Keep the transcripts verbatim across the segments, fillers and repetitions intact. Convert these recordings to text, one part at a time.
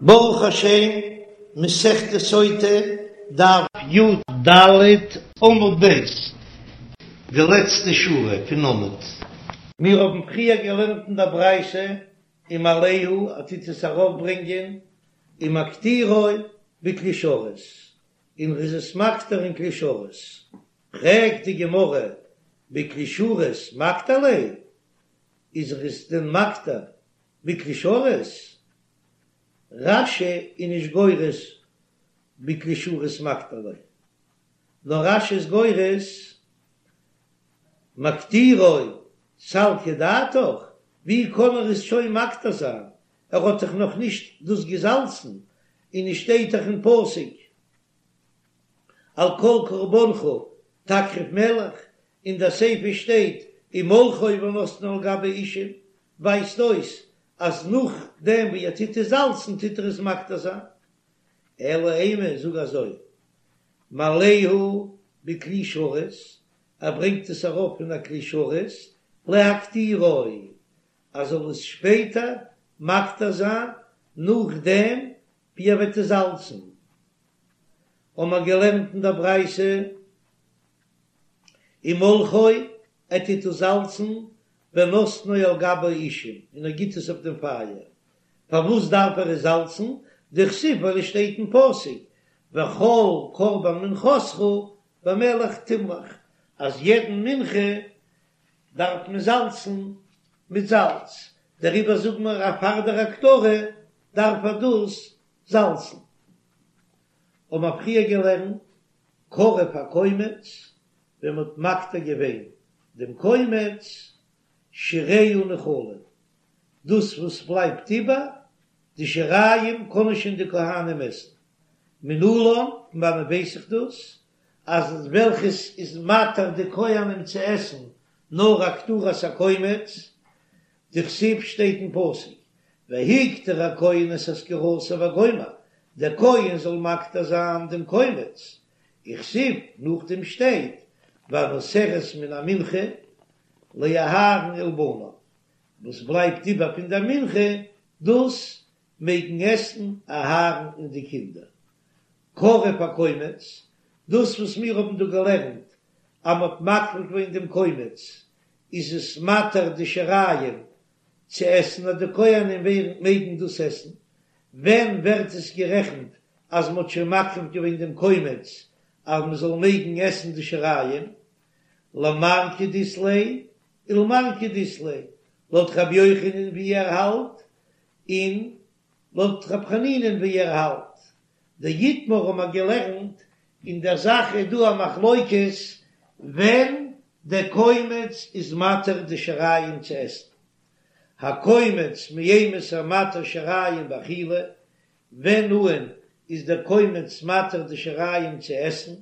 ברוך השם, מסכת סוטה, דף י"ד עמוד ב', די לעצטע שורה פון עמוד. מיר האבן פריער געלערנט אין דער ברייתא ומעלהו, ער טוט עס ארויפברענגען, ומקטירו בכלי שרת, און ר'איז עס מקטיר אין כלי שרת. פרעגט די גמרא, בכלי שרת מקטיר ליה? איז ער עס דען מקטיר בכלי שרת? רש"י איז נישט גורס בכלי שרת מקטיר ליה, נאר רש"י איז גורס מקטירו סלקא דעתך, ווי קען ער עס שוין מקטיר זיין, ער האט דאך נאך נישט דאס געזאלצן, און עס שטייט דאך אין פסוק על כל קרבנך תקריב מלח, אין דער סיפא שטייט ומלחו ונתנו על גבי האישים, ווייזט אויס אז נאכדעם ווי ער טוט עס זאלצן טוט ער עס מקטיר זיין. אלא אימא, זאג אזוי, מעלהו בכלי שרת, ער ברענגט עס ארויף אין א כלי שרת, להקטירו, ער זאל עס שפעטער מקטיר זיין נאכדעם ווי ער וועט עס זאלצן. האמער געלערנט אין דער ברייתא ומלחו, ער טוט עס זאלצן, ונתנו על גבי האישים, און ער גיט עס אויף דעם פייער. פארוואס דארף ער עס זאלצן? דכתיב ווייל עס שטייט אין פסוק, וכל קרבן מנחתך במלח תמלח, אז יעדן מנחה דארף מען זאלצן מיט זאלץ, דעריבער זאגן מיר אז פאר דער הקטרה דארף ער דאס זאלצן. האבן מיר פריער געלערנט קרב הקומץ, ווען מ'האט מקטיר געווען דעם קומץ, שיריה נאכלין, דאס וואס בלייבט איבער, די שיריים קענען שוין די כהנים עסן. מנלן, פון וואנעט ווייס איך דאס? אז וועלכעס איז מתיר די כהנים צו עסן נאר הקטרת הקומץ, דכתיב שטייט אין פסוק, והקטיר הכהן את אזכרתה וגומר, דער כהן זאל מקטיר זיין דעם קומץ, וכתיב, נאכדעם שטייט, והנותרת מן המנחה לאהרן ולבניו, וואס בלייבט איבער פון דער מנחה, דאס מעגן עסן אהרן און די קינדער. קרב הקומץ, דאס וואס מיר האבן דא געלערנט אז מ'האט מקריב געווען דעם קומץ, איז עס מתיר די שיריים צו עסן אז די כהנים מעגן דאס עסן, ווען ווערט עס גערעכנט אז מ'האט שוין מקריב געווען דעם קומץ אז מ'זאל מעגן עסן די שיריים? למר כדאית ליה ולמר כדאית ליה, לויט רבי יוחנן ווי ער האלט, און לויט רבי חנינא'ן ווי ער האלט. דאיתמר האבן מיר געלערנט, אין דער זאך איז דא א מחלוקת ווען דער קומץ איז מתיר די שיריים צו עסן. הקומץ מאימתי מתיר שיריים באכילה, ווען אן איז דער קומץ מתיר די שיריים צו עסן?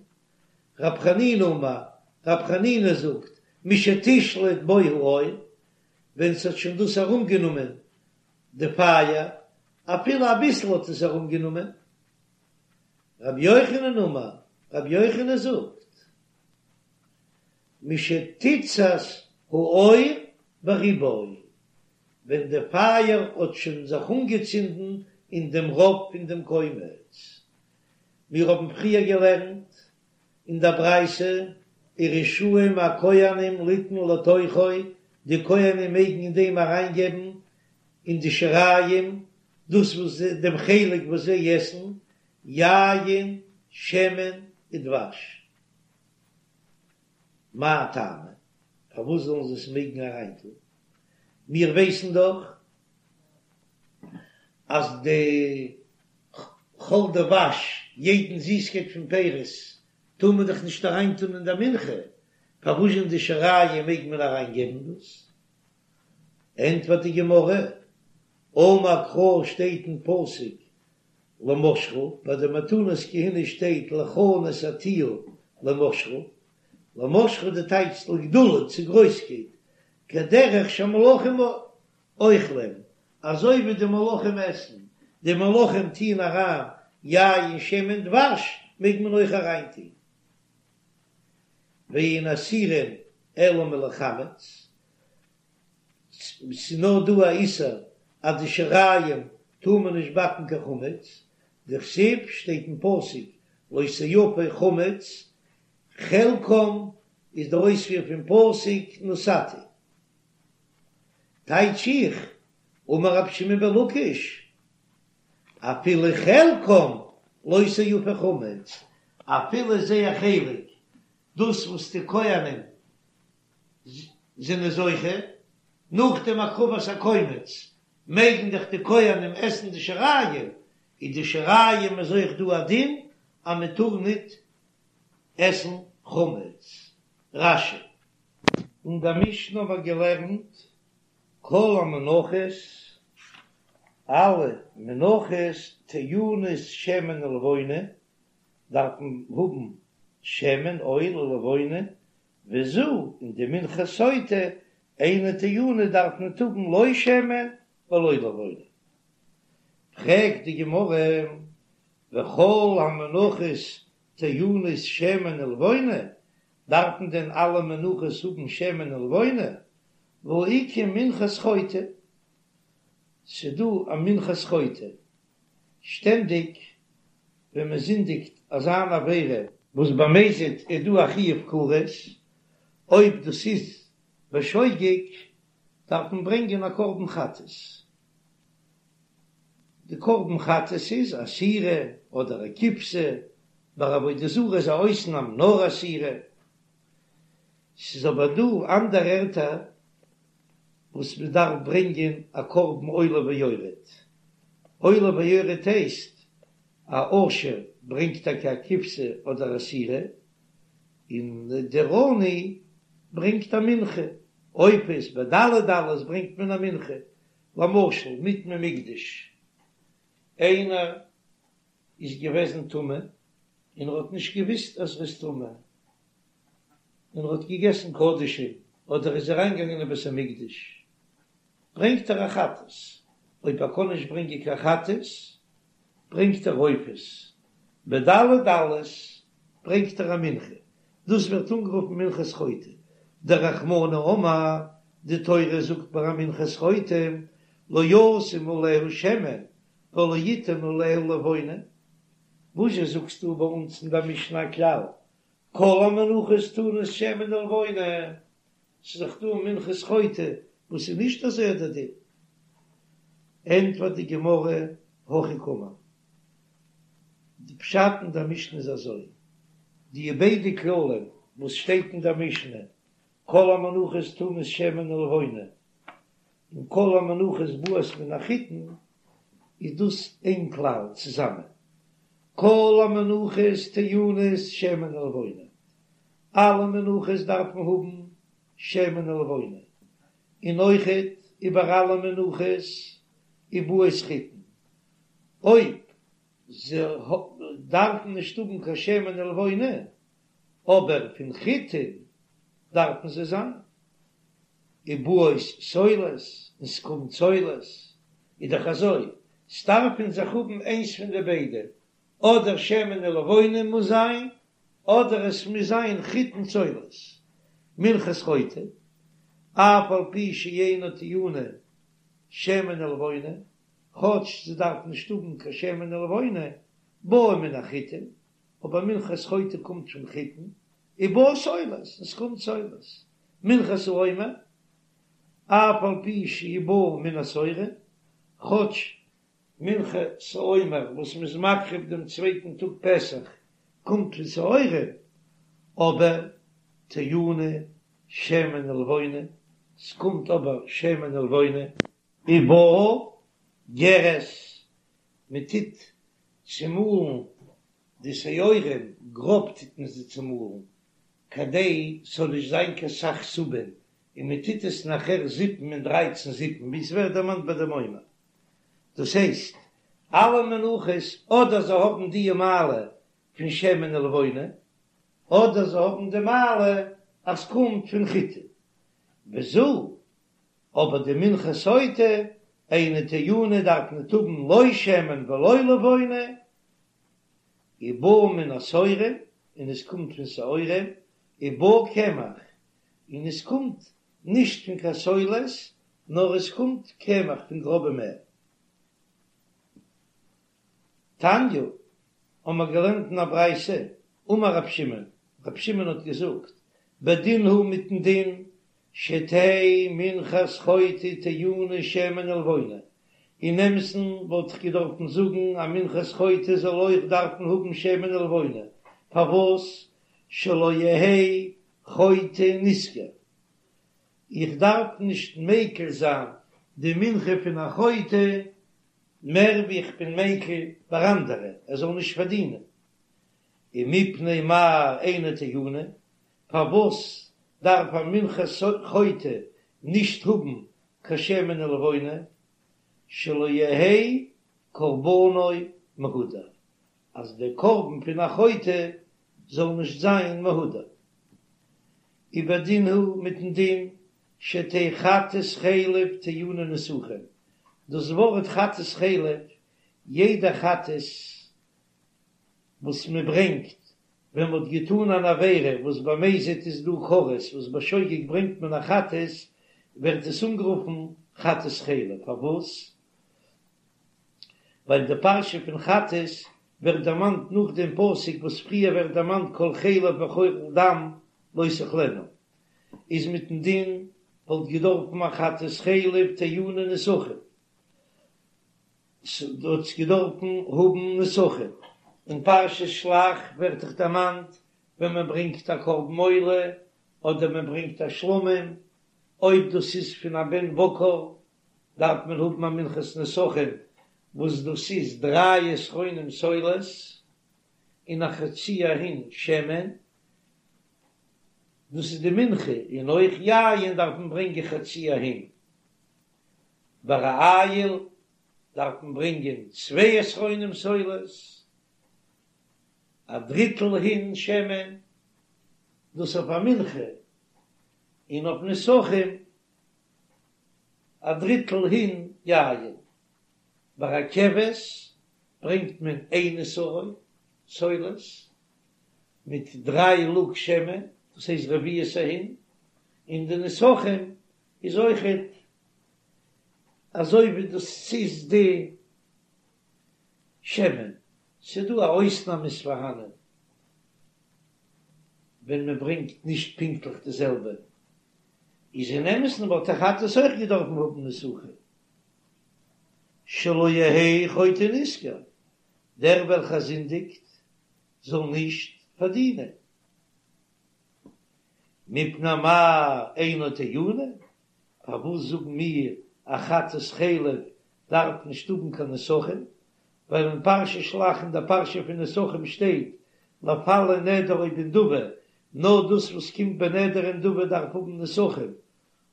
רב חנינא אמר, רב חנינא זאגט, משתשלוט בו האור, ווען ס'האט שוין דאס ארומגענומען די פייער, אפילו אביסל האט עס ארומגענומען. רבי יוחנן אמר, רבי יוחנן זאגט, משתיצת האור ברובו, ווען די פייער האט שוין זיך אנגעצינדן אין דעם רוב פון דעם קומץ. מיר האבן פריער געלערנט אין דער ברייתא, ורשאים הכהנים ליתן לתוכו, די כהנים מעגן אין דעם אריינגעבן אין די שיריים, דאס וואס דעם חלק וואס זיי עסן, יין, שמן ודבש. מאי טעמא? פארוואס זאלן זיי עס מעגן אריינטון? מיר ווייסן דאך אז די כל דבש, יעדן זיסקייט פון פירות, טאר מען דאך נישט אריינטון אין דער מנחה, פארוואס אין די שיריים מעג מען אריינגעבן דאס? ענטפערט די גמרא, אמר קרא שטייט אין פסוק למשחה, ביי די מתנות כהונה שטייט לך נתתיה למשחה, למשחה די טייטש לגדולה צו גרויסקייט, כדרך שהמלכים אוכלים, אזוי ווי די מלכים עסן, די מלכים טוען אריין יין שמן דבש מעג מען אויך אריין טוהן, ואין אסורין אלא מלחמץ, ס'איז נאר דא א איסור אז די שיריים טאר טאר מען נישט באקן קיין חמץ, דכתיב שטייט אין פסוק לא תאפה חמץ, חלקם איז דער אויספיר פון פסוק נתתי. טייטש איך, אמר רבי שמעון בן לקיש, אפילו חלקם לא תאפה חמץ, אפילו זייער חלק, דאס וואס די כהנים זענען זוכה, נאך דעם הקרבת הקומץ מעגן דאך די כהנים עסן די שיריים, איז די שיריים איז אויך דא א דין אז מען טאר ניט עסן חמץ. רש"י. אין דער משנה האבן מיר געלערנט כל המנחות, אלע מנחות טעונות שמן ולבונה, דארפן האבן שמן, אויל, ולבונה, וזו, און די מנחת סוטה, אינה טעונה דארף ניט האבן לא שמן ולא לבונה. פרעגט די גמרא, וכל המנחות טעונות שמן ולבונה, דארפן דען אלע מנחות האבן שמן ולבונה? והאיכא מנחת חוטא, ס'דא א מנחת חוטא, שטענדיג ווען מען זינדיגט אזא אן עבירה, וואס במזיד איז דא א חיוב כרת, אויב דאס איז בשוגג דארף מען ברענגען א קרבן חטאת, די קרבן חטאת איז א שעירה אדער א כבשה, ביי עבודה זרה איז א אויסנאם נאר א שעירה, ס'איז אבער דא אנדערע ערטער וואס מען דארף ברענגען א קרבן עולה ויורד, עולה ויורד הייסט א עושר ברענגט טאקע א כבשה אדער א שעירה, און דער עני ברענגט א מנחה, עופות בדלי דלות ברענגט מען א מנחה, למשל מטמא מקדש, איינער איז געוועזן טמא און ער האט נישט געוויסט אז ער איז טמא, און ער האט געגעסן קדשים אדער איז אריינגעגאנגען אין בית המקדש, ברענגט ער א חטאת, אויב ער קען נישט ברענגען קיין חטאת, ברענגט ער עופות, בדלי דלות ברענגט ער א מנחה, דאס ווערט אנגערופן מנחת חוטא, דרחמנא אמר, די תורה זאגט ביי א מנחת חוטא, לא ישים עליה שמן ולא יתן עליה לבונה, וואזשע זאגסטו ביי אונז אין דער משנה א כלל, כל המנחות טעונות שמן ולבונה, ס'איז דאך דא מנחת חוטא וואס איז נישט אזוי דער דין. ענטפערט די גמרא, הכי קאמר, די פשט אין דער משנה איז אזוי, די ביידע כללים וואס שטייט אין דער משנה, כל המנחות טעונות שמן ולבונה, און כל המנחות באות מן החיטין, איז דאס איין כלל צוזאמען, כל המנחות טעונות שמן ולבונה, אלע מנחות דארפן האבן שמן ולבונה, און אויכעט איבער אלע מנחות ובאות חיטין, אויב זיי דארפן נישט האבן קיין שמן ולבונה, אבער פון חיטין דארפן זיי זיין. ובאות סולת, און ס'קומט סולת, איז דאך אזוי, ס'דארף אין זיך האבן איינס פון די ביידע, אדער שמן ולבונה מוז זיין, אדער עס מוז זיין חיטין סולת. מנחת חוטא, אף על פי שאינה טעונה שמן ולבונה, כאטש זי דארף נישט האבן קיין שמן ולבונה, באה מן החיטין, אבער מנחת חוטא קומט פון חיטין, ובאה סולת, און ס'קומט סולת. מנחת העומר, אף על פי שהיא באה מן השעורים, כאטש מנחת העומר וואס מ'איז מקריב דעם צווייטן טאג פסח קומט פון שעורים, אבער טעונה שמן ולבונה, ס'קומט אבער שמן ולבונה. ובאה גרש, מ'טוט צומאלן די שעורים, גראב טוט מען זיי צומאלן, כדי ס'זאל נישט זיין קיין סך סובין, און מען טוט עס נאכער זיפן אין דרייצן זיפן, ווי ס'ווערט דערמאנט ביי דעם עומר. דאס הייסט, אלע מנחות אדער זיי האבן די מעלה פון שמן ולבונה, אדער זיי האבן די מעלה אז ס'קומט פון חיטה. וזו, אבער די מנחת סוטה, אינה טעונה דארף ניט האבן לא שמן ולא לבונה, ובאה מן השעורים, און עס קומט פון שעורים, ובאה קמח, און עס קומט נישט פון קיין סולת, נאר עס קומט קמח פון גראבע מעל. תניא, האבן מיר געלערנט אין א ברייתא, אמר רב שמעון, רב שמעון האט געזאגט, בדין הוא מיטן דין, שתהא מנחת חוטא טעונה שמן ולבונה, אין אמת'ן וואלט איך געדארפן זאגן אז מנחת חוטא זאל אויך דארפן האבן שמן ולבונה, פארוואס שלא יהא חוטא נשכר? איך דארף נישט מיקל זיין די מנחה פון א חוטא מער ווי איך בין מיקל ביי אנדערע ער זאל נישט פארדינען, ומפני מה אינה טעונה, פארוואס דארף א מנחת חוטא נישט האבן קיין שמן ולבונה, שלא יהא קרבנו מהודר, אז דער קרבן פון א חוטא זאל נישט זיין מהודר. ובדין הוא מיטן דין שתהא חטאת חלב טעונה נסכים, דאס ווארט חטאת חלב, יעדע חטאת וואס מען ברענגט ווען מען האט געטאן אן עבירה וואס במזיד איז דא כרת וואס בשוגג ברענגט מען א חטאת, ווערט עס אנגערופן חטאת חלב, פארוואס? ווייל די פרשה פון חטאת ווערט דערמאנט נאך דעם פסוק וואס פריער ווערט דערמאנט כל חלב וכל דם לא תאכלנו, איז מיטן דין וואלט געדארפן א חטאת חלב טעונה נסכים, ס'וואלט געדארפן האבן נסכים, אין פרשת שלח ווערט דאך דערמאנט ווען מען ברענגט א קרבן עולה אדער מען ברענגט א שלמים, אויב דאס איז פון א בן בקר דארף מען האבן א מנחת נסכים וואס דאס איז דריי עשרונים סולת און א חצי ההין שמן, דאס איז די מנחה, און אויך יין דארף מען ברענגען חצי ההין, ביי א איל דארף מען ברענגען צוויי עשרונים סולת, א דריטל הין שמן, דאס אויף א מנחה, און אויף נסכים א דריטל הין יין. ביי א כבש ברענגט מען איין עשרון סולת מיט דריי לוג שמן, דאס הייסט רביעית ההין, און די נסכים איז אויכעט אזוי ווי דאס איז די שמן. ס'דא א אויסנאם איז פארהאנען ווען מען ברענגט נישט פונקטליך די זעלבע, איז אין אמת'ן וואלט א חטאת אויך געדארפן האבן נסכים, שלא יהא חוטא נשכר, דער וועלכער זינדיגט זאל נישט פארדינען, מפני מה אינה טעונה, פארוואס זאגן מיר א חטאת חלב דארף נישט האבן קיין נסכים, ווייל אין פרשת שלח אין דער פרשה פון נסכים שטייט לפלא נדר או בנדבה, נאר דאס וואס קומט בנדר און נדבה דארף האבן נסכים,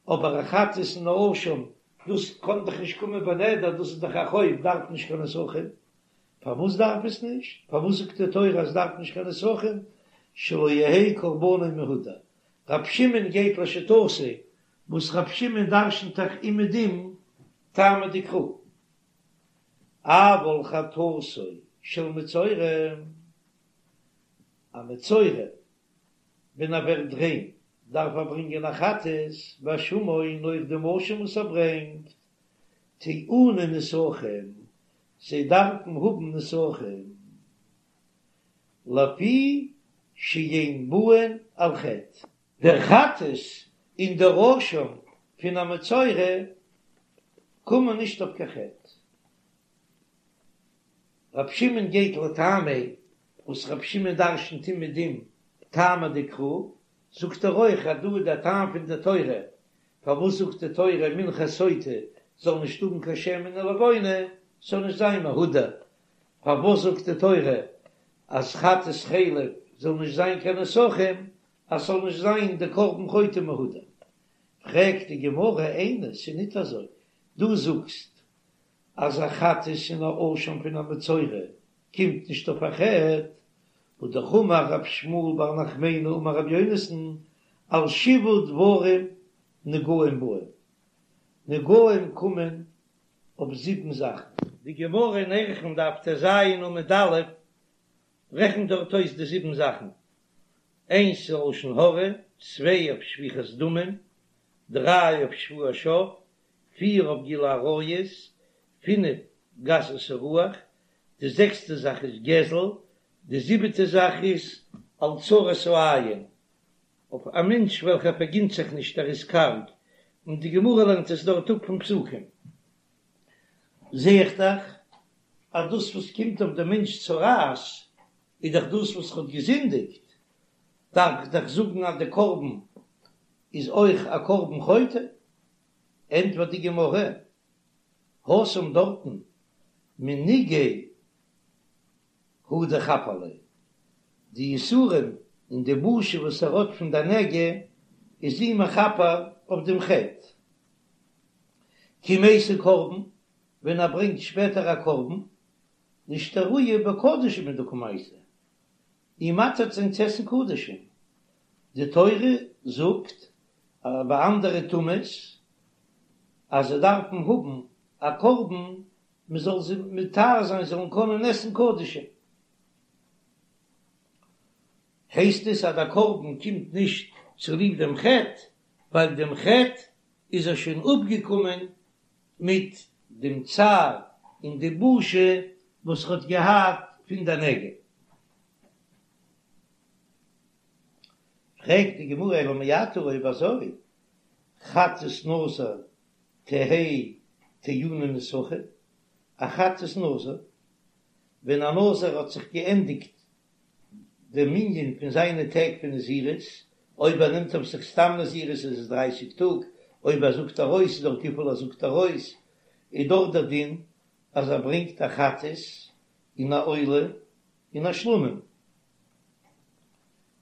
אבער א חטאת און א אשם דאס קען דאך נישט קומען בנדר, דאס איז דאך א חוב דארף נישט קיין נסכים, פארוואס דארף עס נישט? פארוואס זאגט די תורה אז דארף נישט קיין נסכים? שלא יהא קרבנו מהודר. רב שמעון גייט לשיטתו, וואס רב שמעון דרשנ'ט דאך אומעדום טעמא דקרא. אבל חטאתו של מצורע, א מצורע ווען ער ווערט ריין דארף ער ברענגען א חטאת, ואשמו און אויך דעם אשם וואס ער ברענגט, טעונין נסכים, זיי דארפן האבן נסכים, לפי שאין באין על חטא. דער חטאת און דער אשם פון א מצורע קומען נישט אויף קיין חטא. רב שמעון גייט לטעמיה וואס רב שמעון דרשנ'ט אומעדום טעמא דקרא, זאגט ער אויך אז דא איז דער טעם פון די תורה, פארוואס זאגט די תורה מנחת סוטה זאל נישט האבן קיין שמן ולבונה, ס'זאל נישט זיין מהודר, פארוואס זאגט די תורה אז חטאת חלב זאל נישט זיין קיין נסכים, אז ס'זאל נישט זיין די קרבן חוטא מהודר. פרעגט די גמרא איני, ס'איז ניט אזוי, דו זאגסט אז א חטאת און א אשם פון א מצורע קומט נישט אויף א חטא, והא אמר רב שמואל בר נחמני אמר רבי יונתן על שבעה דברים נגעים באים, נגעים קומען אויף זיבן זאכן. די גמרא אין ערכין דף טז עמוד א' רעכנט דארט אויס די זיבן זאכן, איינס איז לשון הרע, צוויי אויף שפיכת דמים, דריי אויף שבועת שוא, פיר אויף גילוי עריות, פינף גסות הרוח, די זעקסטע זאך איז גזל, די זיבעטע זאך איז על צרות העין, אויף א מענטש וועלכער פארגינט זיך נישט ער איז קארג, און די גמרא לערנט עס דארט אפ פון פסוקים. זע איך דאך אז דאס וואס קומט אויף דעם מענטש צרעת איז דאך דאס וואס ער האט געזינדיגט, דארף איך דאך זאגן אז די קרבן איז אויך א קרבן חוטא. ענטפערט די גמרא, התם דארטן מנגעיה הוא דאיכפר ליה, די יסורים און די בושה וואס ער האט פון די נגע איז אים מכפר אויף דעם חטא. כי מייתי קרבן, ווען ער ברענגט שפעטער א קרבן, לאשתרויי בקדשים הוא דקא מייתי, אים מתיר זיין צו עסן קדשים. די תורה זאגט ביי אנדערע טומאות אז זיי דארפן האבן א קרבן מען זאל זיי מטהר זיין זיי זאלן קענען עסן קדשים. הייסט עס אז דער קרבן קומט נישט צוליב דעם חטא, ווייל דעם חטא איז ער שוין אפגעקומען מיט דעם צער און די בושה וואס ער האט געהאט פון די נגע. פרעגט די גמרא אלא מעתה אויב אזוי חטאת נזיר תהא טעונה נסכים, א חטאת נזיר, ווען א נזיר האט זיך געענדיגט דער מנין פון זיינע טעג פון נזירות, אויב ער נעמט אויף זיך סתם נזירות איז עס דרייסיג טאג, אויב ער זאגט ארויס איז דאך וויפיל ער זאגט ארויס, איז דאך דער דין אז ער ברענגט א חטאת און א עולה און א שלמים,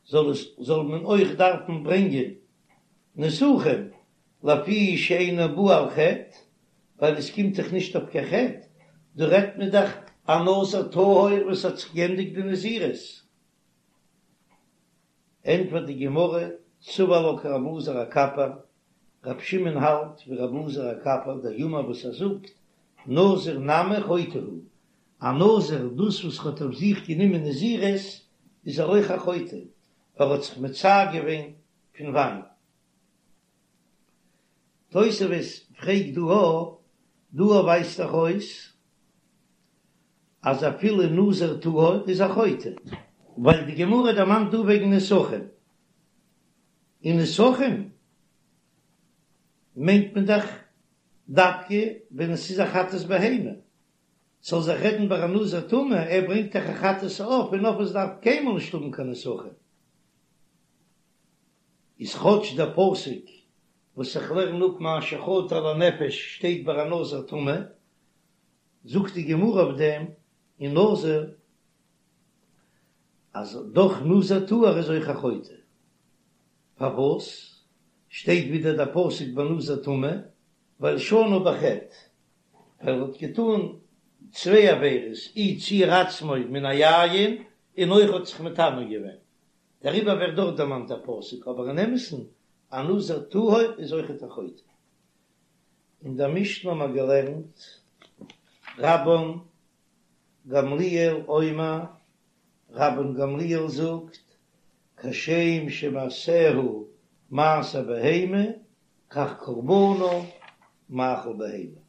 זאל עס זאל מען אויך דארפן ברענגען נסכים לפי שאינו בא על חטא, ווייל עס קומט דאך נישט אויף קיין חטא, דא רעדט מען דאך א נזיר טהור וואס האט זיך גענדיגט די נזירות. ענטפערט די גמרא, סבר לה כרבי אלעזר הקפר, רבי שמעון האלט ווי רבי אלעזר הקפר דאמר וואס ער זאגט, נזיר נמי חוטא הוא, א נזיר דאס וואס האט אויף זיך גענומען נזירות איז ער אויך א חוטא, ווייל ער האט זיך מצער געווען פון וויין. תוספות פרעגט דא א, דא א ווייזט דאך אויס אז אפילו נזיר טהור איז א חוטא, ווייל די גמרא דערמאנט דא וועגן נסכים, און נסכים מיינט מען דאך דווקא ווען עס איז א חטאת בהמה, ס'זאל זיך רעדן ביי א נזיר טמא, ער ברענגט דאך א חטאת העוף און עופות דארף קיינמאל נישט האבן קיין נסכים, איז כאטש דער פסוק וואס איך לערן אפ מאשר חטא לנפש שטייט ביי א נזיר טמא, זאגט די גמרא אויף דעם אין נזיר אז דאך נזיר טהור איז אויך א חוטא, פארוואס שטייט ווידער דער פסוק ביי נזיר טמא? ווייל שנה בחטא, ווייל ער האט געטאן צוויי עבירות, אי ציער עצמו מן היין, און אויך האט זיך מטמא געווען, דעריבער ווערט דארט דערמאנט דער פסוק, אבער אין אמת'ן א נזיר טהור איז אויכעט א חוטא. אין דער משנה האבן מיר געלערנט, רבן גמליאל אומר, רבן גמליאל זאגט, כשם שמעשיה מעשה בהמה, כך קרבנה מאכל בהמה.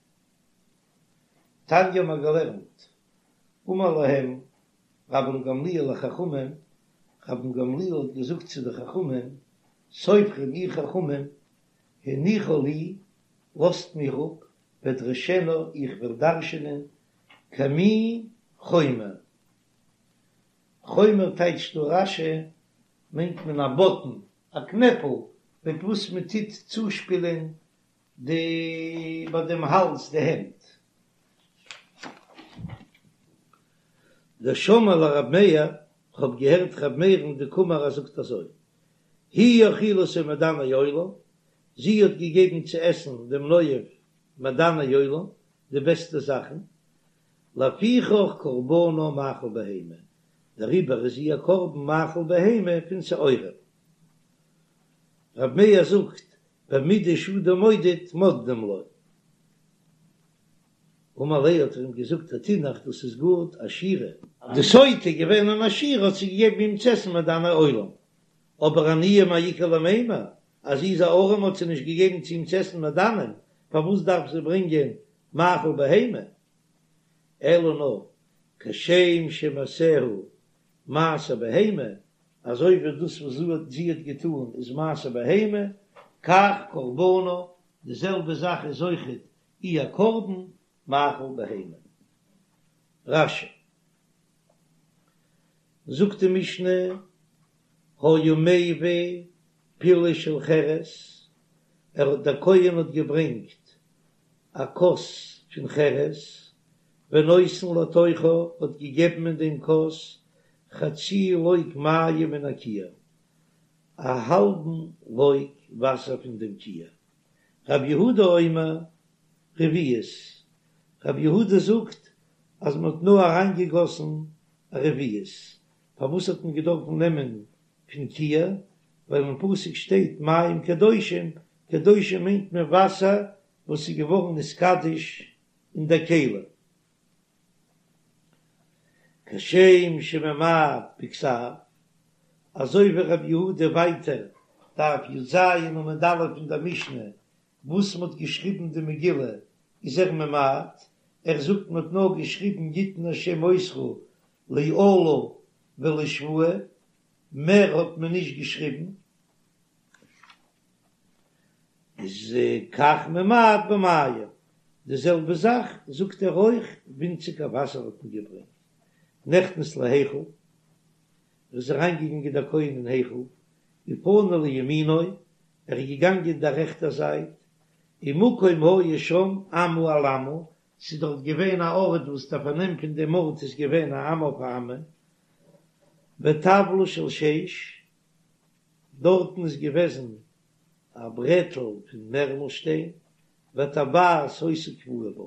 תניא האבן מיר געלערנט, אמר להם רבן גמליאל לחכמים, רבן גמליאל האט געזאגט צו די חכמים, סופרים איר חכמים, הניחו לי, לאזט מיר אפ, ואדרשנה, איך וועל דרש'ענען, כמין חומר. חומר טייטשט דא רש"י, מיינט מען א באטן, א קנעפל, מיט וואס מען טוט צושפילען די ביי דעם האלז די הענט. דשמעי לרב מאיר, כ'האב געהערט ר' מאיר'ן דקאמר ער זאגט אזוי, היא האכילתו מעדני עולם, זי האט געגעבן צו עסן דעם נואף מעדני עולם, די בעסטע זאכן, לפיכך קרבנה מאכל בהמה, דעריבער איז איר קרבן מאכל בהמה פון שעורים. ר' מאיר זאגט, במידה שאדם מודד מודדים לו. אמר ליה האט ער אים געזאגט התינח דאס איז גוט עשירה. די סוטה איז געווען אן עשירה האט זי געגעבן אים צו עסן מעדני עולם, אבער עניה מאי איכא למימר, אז זי איז א ארעמע האט זי נישט געגעבן צו אים צו עסן מעדנים, פארוואס דארף זי ברענגען מאכל בהמה? אלא נאר כשם שמעשיה מעשה בהמה, אזוי ווי דאס וואס זי האט געטאן איז מעשה בהמה, כך קרבנה, די זעלבע זאך איז אויכעט איר קרבן, מאכל בהמה. רש"י. זאגט די משנה, היה מביא פילי של חרס, ער האט דער כהן האט געברענגט א כוס פון חרס, ונותן לתוכה, האט געגעבן אין דעם כוס חצי לוג מים מן הכיור, א האלבן לוג וואסער פון דעם כיור. רב יהודה אומר רביעית, רב יהודה זאגט אז מען האט נאר אריינגעגאסן א רביעית, פארוואס האט מען געדארפן נעמען פון כיור, ווייל אין פסוק שטייט מים קדושים, קדושים מיינט מען וואסער וואס איז געווארן נתקדש אין דער כלי. כשם שממעט בכתב, אזוי ווי רבי יהודה ווייטער דף י"ז עמוד א' אין דער משנה וואס מ'האט געשריבן די מגילה איז ער ממעט, ער זאגט מ'האט נאר געשריבן יתן השם אותך לאלה ולשבועה, מער האט מען נישט געשריבן, איז כך ממעט במים, די זעלבע זאך זאגט ער אויך, ווינציגער וואסער האט מען געברענגט, נכנס להיכל, ער איז אריינגעגאנגען דער כהן אין היכל, ופנה לימינו, ער איז געגאנגען דער רעכטער זייט, ומקום היה שם אמה על אמה, ס'איז דארט געווען א ארט וואס דער פארנעם פון דעם ארט איז געווען א אמה אויף א אמה, וטבלא של שיש, דארטן איז געוועזן א ברעטל פון מערמלשטיין, וטבעת היתה קבועה בה,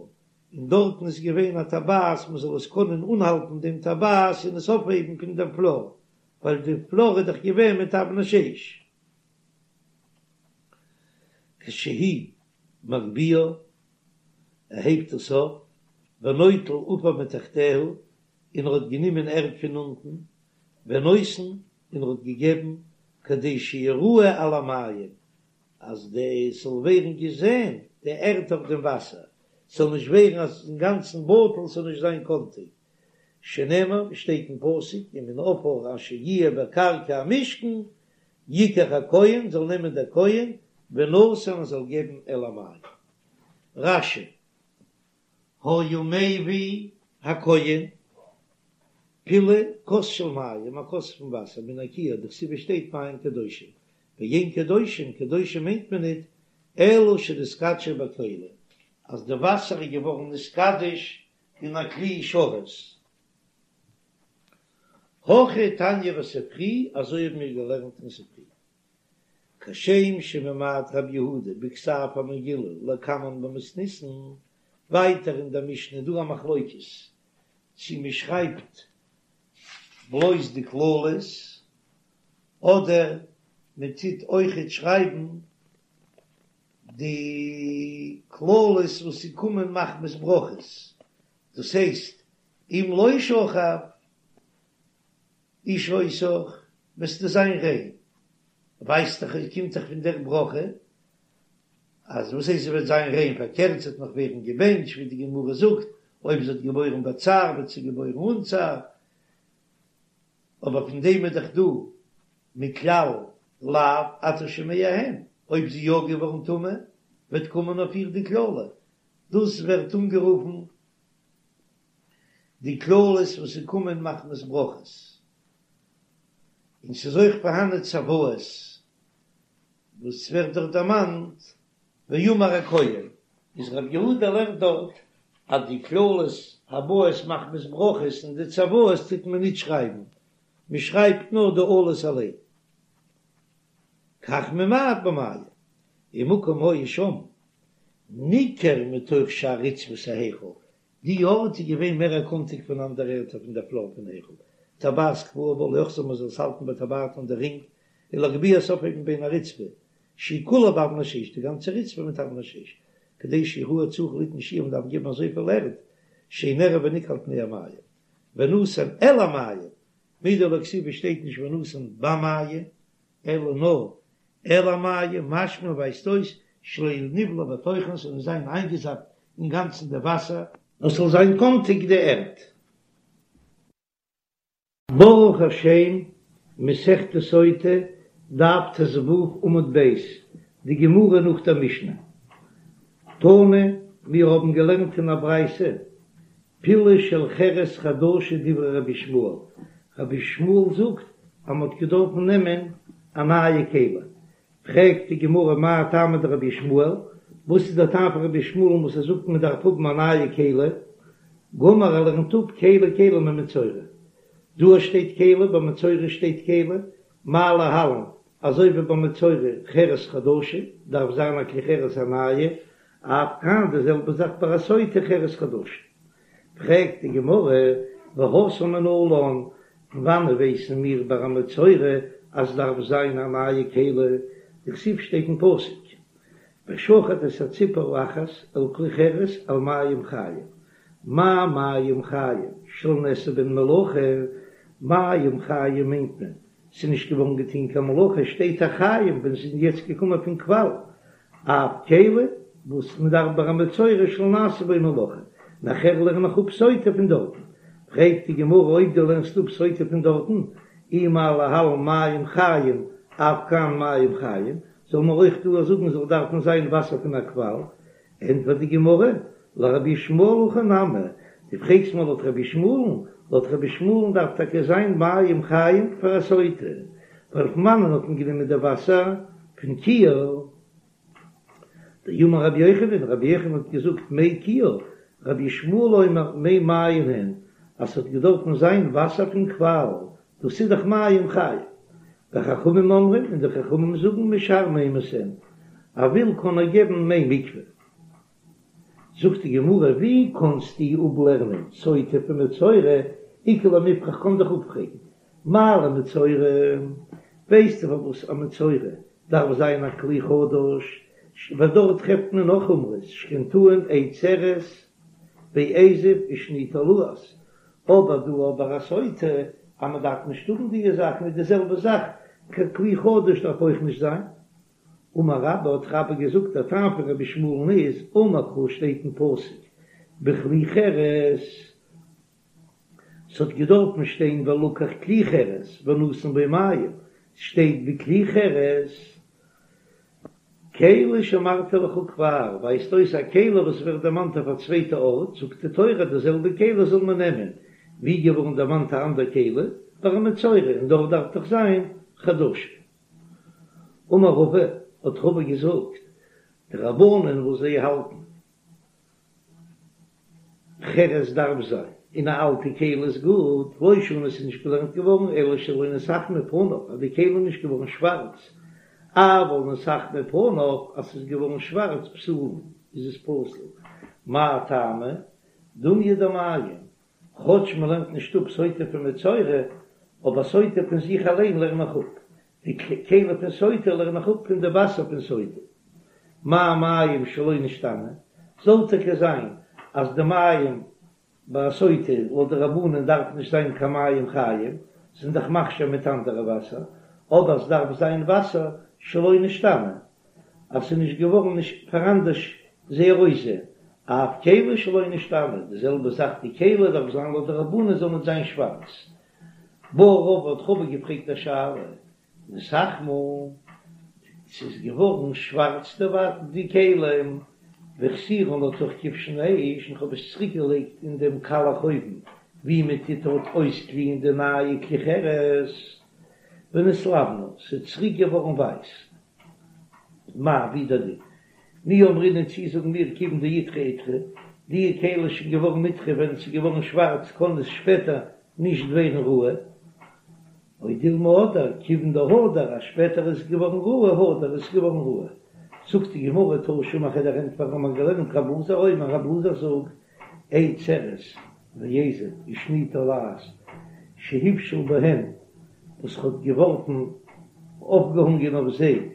און דארטן איז געווען א טבעת מען זאל עס קענען אנהאלטן דעם טבעת און עס אויפהייבן פון דעם פלאר, ווייל די פלאר איז דאך געווען מיט אבני שיש. כשהוא מגביה, ער הייבט עס אויף, ונוטל עפר מתחתיה, און ער האט גענומען ערד פון אונטן, ונותן, און ער האט געגעבן, כדי שיראה על המים, אז די ס'זאל ווערן געזען די ערד אויף דעם וואסער, ס'זאל נישט ווערן אז אינגאנצן בטל, ס'זאל נישט זיין קאנטיג, שנאמר, שטייט אין פסוק, ומן העפר אשר יהיה בקרקע המשכן, יקח הכהן, זאל נעמען דער כהן, ונתן און זאל געבן אל המים. רש"י, היה מביא הכהן, פילי כוס של מים, א כוס פון וואסער, מן הכיור, דכתיב שטייט מים קדושים, ואין קדושים, קדושים מיינט מען ניט, אלא שנתקדשו בכלי, אז די וואסער איז געווארן נתקדש אין א כלי שרת. הכי תניא בספרי, אזוי האבן מיר געלערנט אין ספרי. כשם שממעט רבי יהודה בכתב המגילה לקמן במתניתין, ווייטער אין דער משנה איז דא א מחלוקת צי מען שרייבט בלויז די קללות אדער מען טוט אויכעט שרייבן די קללות וואס ס'קומען מחמת ברכות, דאס הייסט אם לא שכב איש אותך וועסטו זיין ריין, ווייסט דאך עס קומט דאך פון דער ברכה, אז וואס הייסט זי וועט זיין ריין, פארקערט זי וועט נאך ווערן געבענטשט, ווי די גמרא זאגט, אויב זי האט געבוירן בצער וועט זי געבוירן אן צער, אבער פון דעם איז דאך דא מכלל לאו אתה שומע הן, אויב זי יא געווארן טמא וועט קומען אויף איר די קללה, דאס ווערט אנגערופן די קללות וואס ס'קומען מחמת ברכות, און ס'איז אויך פארהאנען צוואות וואס ווערט דארט דערמאנט ויאמר הכהן, איז רבי יהודה לערנט דארט אז די קללות הבאות מחמת ברכות און די צוואות טוט מען ניט שרייבן, מען שרייבט נאר די אלות אליין. כך ממעט במים, ומקום היה שם ניכר מתוך שאר רצפת ההיכל, די ארט איז געווען מער קאנטיג פון אנדערע ערטער פון דער פלאר פון היכל, טבעת קבועה בה לאחזה מען זאל עס האלטן בטבעת אן די רינג, ולהגביה עס אויפהייבן בין הרצפה שהיא כולה באבני שיש, די גאנצע רצפה מיט אבני שיש, כדי שיראה צריך ליתן שיעור מען דארף געבן אזויפיל ערד, שיהא נראה וניכר על פני המים, ונתן אל המים, מדלא כתיב שטייט נישט ונתן במים, אלא נאר אל המים, משמע ווייזט אויס שלא נבלע בתוכן ס'זאל נישט זיין איינגעזאפט אינגאנצן די וואסער, נאר ס'זאל זיין קאנטיג די ערד. ברוך השם, מסכת סוטה, דף ט"ו עמוד ב', די גמרא נאך דער משנה. תנא, מיר האבן געלערנט אין א ברייתא, פילי של חרס חדשה דברי רבי ישמעאל, רבי ישמעאל זאגט אז מען האט געדארפן נעמען א נייע כלי, פרעגט די גמרא מאי טעמא דרבי ישמעאל, וואס איז דער טעם פון רבי ישמעאל'ן וואס ער זאגט מען דארף האבן א נייע כלי, גמר ער לערנט אפ כלי כלי ממצורע, דא שטייט כלי ביי מצורע שטייט כלי, מה להלן, אזוי ווי ביי מצורע חרס חדשה דארף זיין א כלי חרס א נייע, אף כאן די זעלבע זאך ביי א סוטה חרס חדשה. פרעגט די גמרא, והתם מנלן, פון וואנען ווייסן מיר ביי א מצורע אז דארף זיין א נייע כלי, דכתיב שטייט אין פסוק, ושחט את הציפור האחת אל כלי חרס על מים חיים, מה מים חיים שלא נעשה בהן מלאכה, מים חיים מיינט מען ס'איז נישט געווארן געטון קיין מלאכה, שטייט החיים ווען ס'איז יעצט געקומען פון קוואל, אף כלי וואס מ'דארף ביי א מצורע שלא נעשה בו מלאכה, נאכער לערן איך אפ סוטה פון דארטן, פרעגט די גמרא אויב דו לערנסט אפ סוטה פון דארטן, אי מה להלן מים חיים אף כאן מים חיים, זאל מען אויך דא זאגן זאל דארפן זיין וואסער פון א קוואל, ענטפערט די גמרא, לרבי ישמעאל הכי נמי, דו פרעגסט מיר לויט רבי ישמעאל'ן, לויט רבי ישמעאל'ן דארף טאקע זיין מים חיים פאר א סוטה, ווייל פון וואנען האט מען גענומען די וואסער? פון כיור. דאמר רבי יוחנן, רבי יוחנן האט געזאגט מי כיור, רבי ישמעאל אומר מי מעיין הן, אז ס'האט געדארפן זיין וואסער פון קוואל, דאס איז דאך מים חיים. וחכמים אומרים, און די חכמים זאגן משאר מימות הן, ער וויל קען ער געבן מי מקווה. זאגט די גמרא, ווי קענסטו אפלערנען סוטה פון מצורע, איכא למיפרך קען דאך אפפרעגן, מה למצורע, ווייסטו פארוואס א מצורע דארף זיין א כלי חדש, ווייל דארט טרעפט מען נאך חומרות, שכן טעון עץ ארז ואזוב ושני תולעת, אבער דא אבער א סוטה אז מען דארף נישט האבן די זאכן איז די זעלבע זאך קיין כלי חדש דארף אויך נישט זיין. אמר רבה האט רבה געזאגט דער טעם פון רבי ישמעאל'ן איז אמר קרא שטייט אין פסוק בכלי חרס ס'האט געדארפן שטיין ולקח כלי חרס ונתן בו מים ס'שטייט בכלי חרס כלי שאמרתי לך כבר, ווייזט אויס א כלי וואס ווערט דערמאנט אויף א צווייטע ארט, זאגט די תורה די זעלבע כלי זאל מען נעמען, ווי געווארן דערמאנט א אנדער כלי, ביי א מצורע, און דארט דארף דאך זיין חדשה. אמר רבא, האט רבא געזאגט, די רבנן וואס זיי האלטן חרס דארף זיין, און א אלטע כלי איז גוט, לא שנו ס'איז נישט געלערנט געווארן אלא שלא נתאכמו פניו אז די כלי איז נישט געווארן שווארץ, אבל נתאכמו פניו אז ס'איז געווארן שווארץ פסולין איז עס פסול, מאי טעמא? דומיא דמים, כאטש מ'לערנט נישט אפ סוטה פון מצורע, אבער סוטה פון זיך אליין לערן איך אפ, די כלי פון סוטה לערן איך אפ פון די וואסער פון סוטה. מה מים שלא נשתנו, זאל טאקע זיין אז די מים ביי א סוטה לויט די רבנן דארף נישט זיין קיין מים חיים, זענען דאך מכשיר מיט אנדערע וואסער, אבער עס דארף זיין וואסער שלא נשתנו, אז ס'איז נישט געווארן נישט פאראנדערש זייער אויסזען, אף כלי שלא נשתנו, די זעלבע זאך די כלי דארף זיין לויט די רבנן זאל נישט זיין שווארץ. בעי רבא האט רבא געפרעגט א שאלה, נתאכמו, ס'איז געווארן שווארץ די כלים, והחזירן לתוך כבשן האש, און כ'האב עס צוריק געלייגט אין דעם קאלעך אויוון ווי מען טוט דארט אויסגליען די נייע כלי חרס, ונתלבנו, ס'איז צוריק געווארן ווייס. מהו, ווי דער דין. מי אמרינן צי זאגן מיר כיוון דאידחי אידחי, די כלי איז שוין געווארן נדחה ווען ס'איז געווארן שווארץ קען עס שפעטער נישט ווערן ראוי, או דילמא אדער כיוון דהדר אז שפעטער איז עס געווארן ראוי הדר איז עס געווארן ראוי. זאגט די גמרא תא שמע כ'וועל דיר ענטפערן האט מען געלערנט רב אלעזר אומר רב אלעזר זאגט עץ ארז ואזוב ושני תולעת שהפשיל בהן וואס האט געווארפן אויפגעהאנגען אויף זיי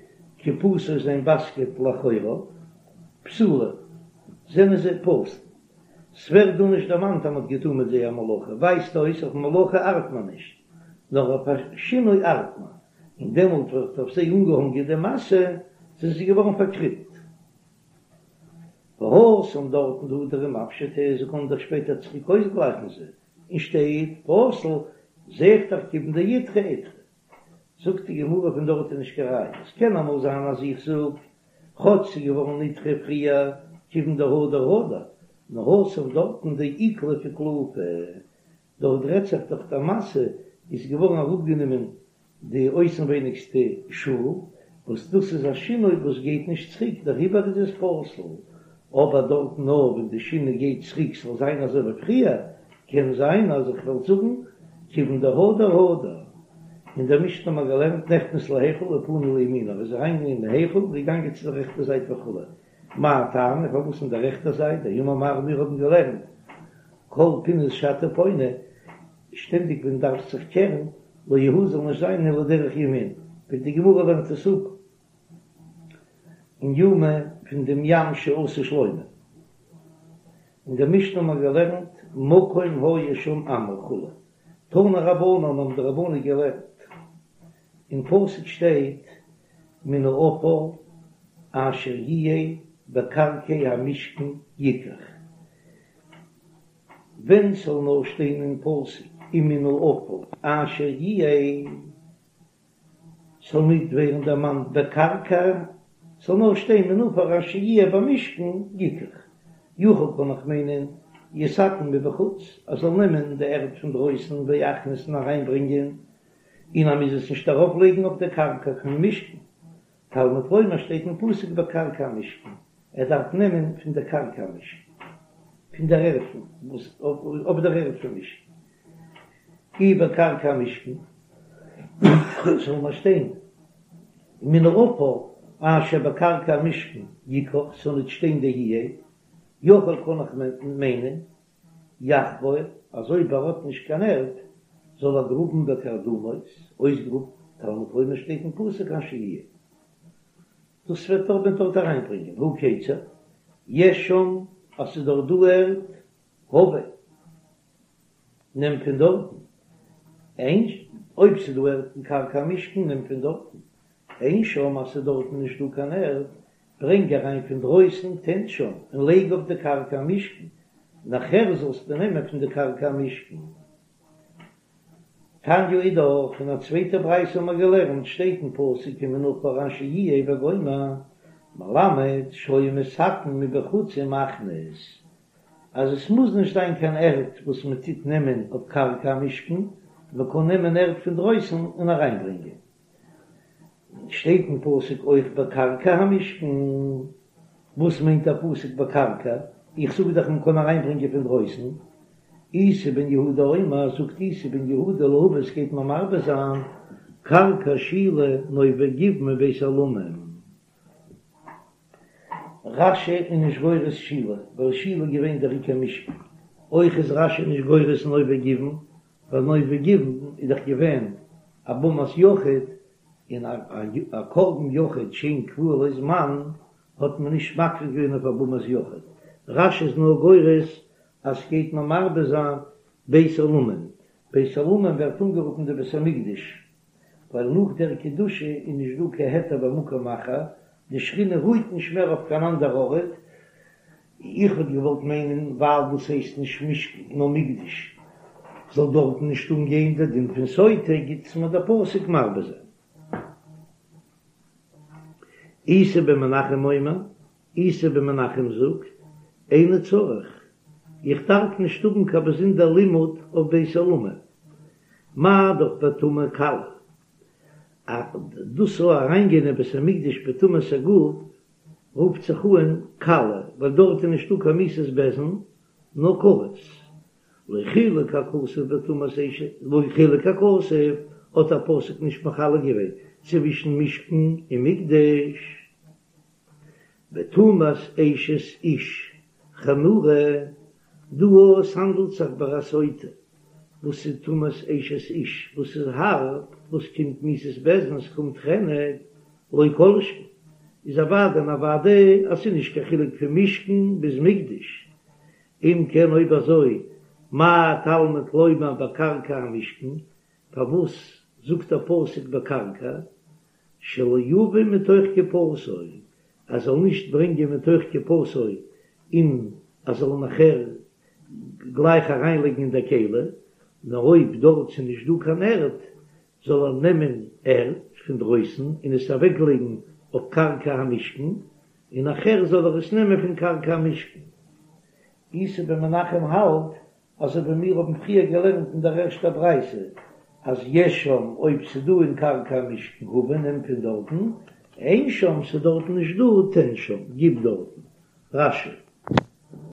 קופתו זיין באסקעט לאחוריו פסולין זענען זיי פסול. ס'ווערט דא נישט דערמאנט אז מ'האט געטון מיט זיי א מלאכה, ווייזט אויס אויף מלאכה ארט מען נישט, נאר אויף א שינוי ארט מען, און דעמאלט ווערט אויף זיי אנגעהאנגען די משא, זענען זיי געווארן פארקרימט. והתם דארטן דהדרי ומפשטי, זיי קענען דאך שפעטער צוריק אויסגלייכן זיי, און שטייט פסול, זע איך דאך כיון דאידחי אידחי. זאגט די גמרא פון דארט איז נישט קיין ראיה, עס קען אמאל זיין אז איך זאג כאטש ס'איז געווארן נדחה פריער כיון דהדר הדר, נאר התם דארטן דאיקלוף איקלופי, דארט רעדט זיך דאך די משא איז געווארן אראפגענומען די אויסנווייניגסטע שאל, וואס דאס איז א שינוי וואס גייט נישט צוריק דעריבער איז עס פסול, אבער דארט נאר ווען די שינוי גייט צוריק ס'זאל זיין אזוי ווי פריער, קען זיין אז איך וועל זאגן כיוון דהדר הדר. אין דער משנה האט מען געלערנט נכנס להיכל ופנה לימינו, ער איז אריינגעגאנגען אין היכל און געגאנגען צו דער רעכטער זייט וכו', מאי טעמא פארוואס אין דער רעכטער זייט, דאמר מר מיר האבן געלערנט כל פינות שאתה פונה, שטענדיג ווען דארפסט זיך קערן, לא יהו זאל נישט זיין אלא דרך ימין, ווי די גמרא לערנט עס אפ אין יומא פון דעם ים שעשה שלמה. אין דער משנה האט מען געלערנט מקום היה שם אמה וכו', תנו רבנן האבן די רבנן געלערנט, אין פסוק שטייט מן העפר אשר יהיה בקרקע המשכן יקח, ווען ס'זאל נאר שטיין אין פסוק ומן העפר אשר יהיה, ס'זאל ניט ווערן דערמאנט בקרקע, ס'זאל נאר שטיין מן העפר אשר יהיה במשכן יקח, יכול קען איך מיינען יתקן מבחוץ, ער זאל נעמען די ערד פון דרויסן ויכניס און אריינברענגען, און ער מוז עס נישט ארויפלייגן אויף די קרקע פון משכן, תלמוד לומר שטייט אין פסוק בקרקע המשכן, ער דארף נעמען פון דער קרקע המשכן, פון דער ערד פון וואס אויף דער ערד פון משכן, אי בקרקע המשכן, זאל מען שטיין מן העפר אשר בקרקע המשכן יקח, ס'זאל ניט שטיין די יהיה, יכול קען איך מיינען יחפור, אז אויב ער האט נישט קיין ערד, זאל ער גראבן בקרדומות, אויסגראבן, תלמוד לומר שטייט אין פסוק אשר יהיה. דאס וועט דאך מען דארט אריינברענגען, הא כיצד, יש שם, אז ס'איז דארט דא ערד, הבא, נעם פון דארטן, אין, אויב ס'איז דא ערד אין קרקע המשכן, נעם פון דארטן, אין שם, אז ס'איז דארטן נישט דא קיין ערד, ברענג אריין פון דרויסן תן שם און לייג אויף די קרקע המשכן, נאכער זאלסטו נעמען פון די קרקע המשכן. תניא אידך, אין א צווייטע ברייתא האבן מיר געלערנט, שטייט אין פסוק ומן העפר אשר יהיה וגומר, מלמד שהיה מתקן מבחוץ ומכניס, אז עס מוז נישט זיין קיין ערד וואס מען טוט נעמען אויף קרקע המשכן, מען קען נעמען ערד פון דרויסן און אריינברענגען. שטייט אין פסוק אויך בקרקע המשכן, וואס מיינט דער פסוק בקרקע? איך זאג דאך מען קען אריינברענגען פון דרויסן. איסי בן יהודה אומר, זאגט איסי בן יהודה להביא עס גייט מען מרבה זיין קרקע שילה נוב וגבעון ובית עולמים. רש"י איז נישט גורס שילה, ווייל שילה איז געווען דער עיקר משכן. אויך איז רש"י נישט גורס נוב וגבעון, ווייל נוב וגבעון איז דאך געווען א במת יחיד, און א קרבן יחיד שאין קבוע לו זמן האט מען נישט מקריב געווען אויף א במת יחיד. רש"י איז נאר גורס אז ס'גייט מען מרבה זיין בית עולמים. בית עולמים ווערט אנגערופן די בית המקדש, ווייל נאך דער קדושה איז נישט דא קיין היתר במקום אחר, די שכינה רוהט נישט מער אויף קיין אנדער ארט, איך וואלט געוואלט מיינען ווייל דאס הייסט נישט משכן נאר מקדש זאל דארטן נישט אנגיין דער דין פון סוטה, גיט מיר דער פסוק מרבה זיין. איסי בן מנחם אומר, איסי בן מנחם זאגט, איני צריך, איך דארף נישט האבן קיין באזונדער לימוד אויף בית עולמים, מה דאך בטומאה קלה, אז דאס זאל אריינגיין אין בית המקדש בטומאת הגוף רופט זיך אן קלה, ווייל דארט איז נישטא קיין מיתת בית דין, נאר כרת. לא חילק הכתוב בטומאת אשת, לא חילק הכתוב, האט דער פסוק נישט מחלק געווען צווישן משכן און מקדש. בטומאת אשת איש חמורה, דא עס האנדלט זיך ביי א סוטה וואס איז טומאת אשת איש וואס איז הארב, וואס קומט מיתת בית דין, עס קומט חנק, לא כל שכן איז אוודאי און אוודאי אז ס'איז נישט קיין חילוק פון משכן ביז מקדש, אם כן אויב אזוי מה תלמוד לומר בקרקע המשכן, פארוואס זאגט דער פסוק בקרקע שלא יביא מתוך קופתו, ער זאל נישט ברענגען מתוך קופתו און ער זאל נאכער גלייך אריינלייגן אין דער כלי, נאר אויב דארט ס'איז נישט דא קיין ערד, זאל ער נעמען ערד פון דרויסן און עס אוועקלייגן אויף קרקע המשכן, און נאכהער זאל ער עס נעמען פון קרקע המשכן. איסי בן מנחם האלט אזוי ווי מיר האבן פריער געלערנט אין דער ערשטער ברייתא אז יש שם אויב ס'דא אין קרקע המשכן הבא נעם פון דארטן, אין שם ס'דארטן נישט דא תן שם גיב דארטן. רש"י.